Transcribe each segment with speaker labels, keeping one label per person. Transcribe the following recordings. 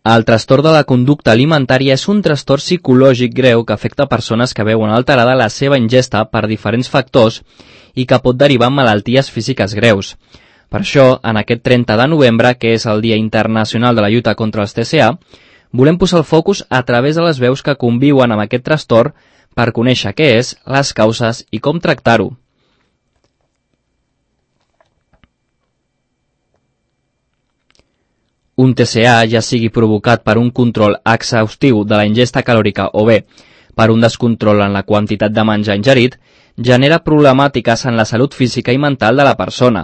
Speaker 1: El trastorn de la conducta alimentària és un trastorn psicològic greu que afecta persones que veuen alterada la seva ingesta per diferents factors i que pot derivar en malalties físiques greus. Per això, en aquest 30 de novembre, que és el Dia Internacional de la Lluita contra els TCA, volem posar el focus a través de les veus que conviuen amb aquest trastorn per conèixer què és, les causes i com tractar-ho. Un TCA, ja sigui provocat per un control exhaustiu de la ingesta calòrica o bé per un descontrol en la quantitat de menjar ingerit, genera problemàtiques en la salut física i mental de la persona.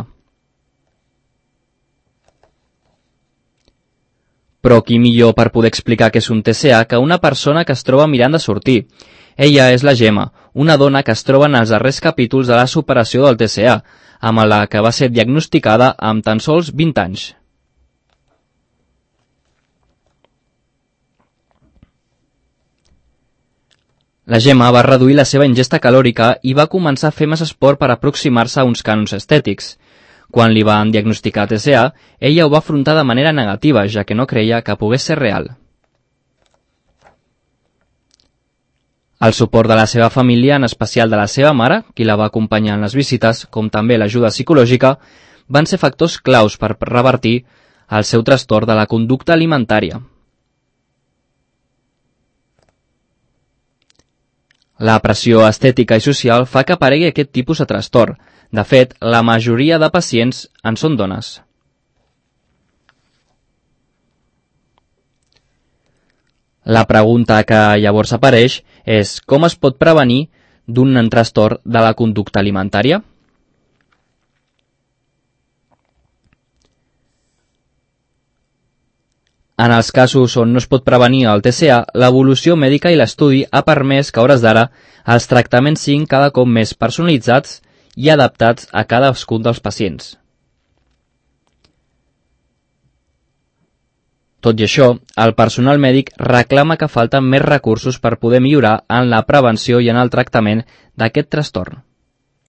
Speaker 1: Però qui millor per poder explicar què és un TCA que una persona que es troba mirant de sortir. Ella és la Gemma, una dona que es troba en els darrers capítols de la superació del TCA, amb la que va ser diagnosticada amb tan sols 20 anys. La Gemma va reduir la seva ingesta calòrica i va començar a fer més esport per aproximar-se a uns cànons estètics. Quan li van diagnosticar TCA, ella ho va afrontar de manera negativa, ja que no creia que pogués ser real. El suport de la seva família, en especial de la seva mare, qui la va acompanyar en les visites, com també l'ajuda psicològica, van ser factors claus per revertir el seu trastorn de la conducta alimentària. La pressió estètica i social fa que aparegui aquest tipus de trastorn. De fet, la majoria de pacients en són dones. La pregunta que llavors apareix és com es pot prevenir d'un trastorn de la conducta alimentària? En els casos on no es pot prevenir el TCA, l'evolució mèdica i l'estudi ha permès que a hores d'ara els tractaments siguin cada cop més personalitzats i adaptats a cadascun dels pacients. Tot i això, el personal mèdic reclama que falten més recursos per poder millorar en la prevenció i en el tractament d'aquest trastorn.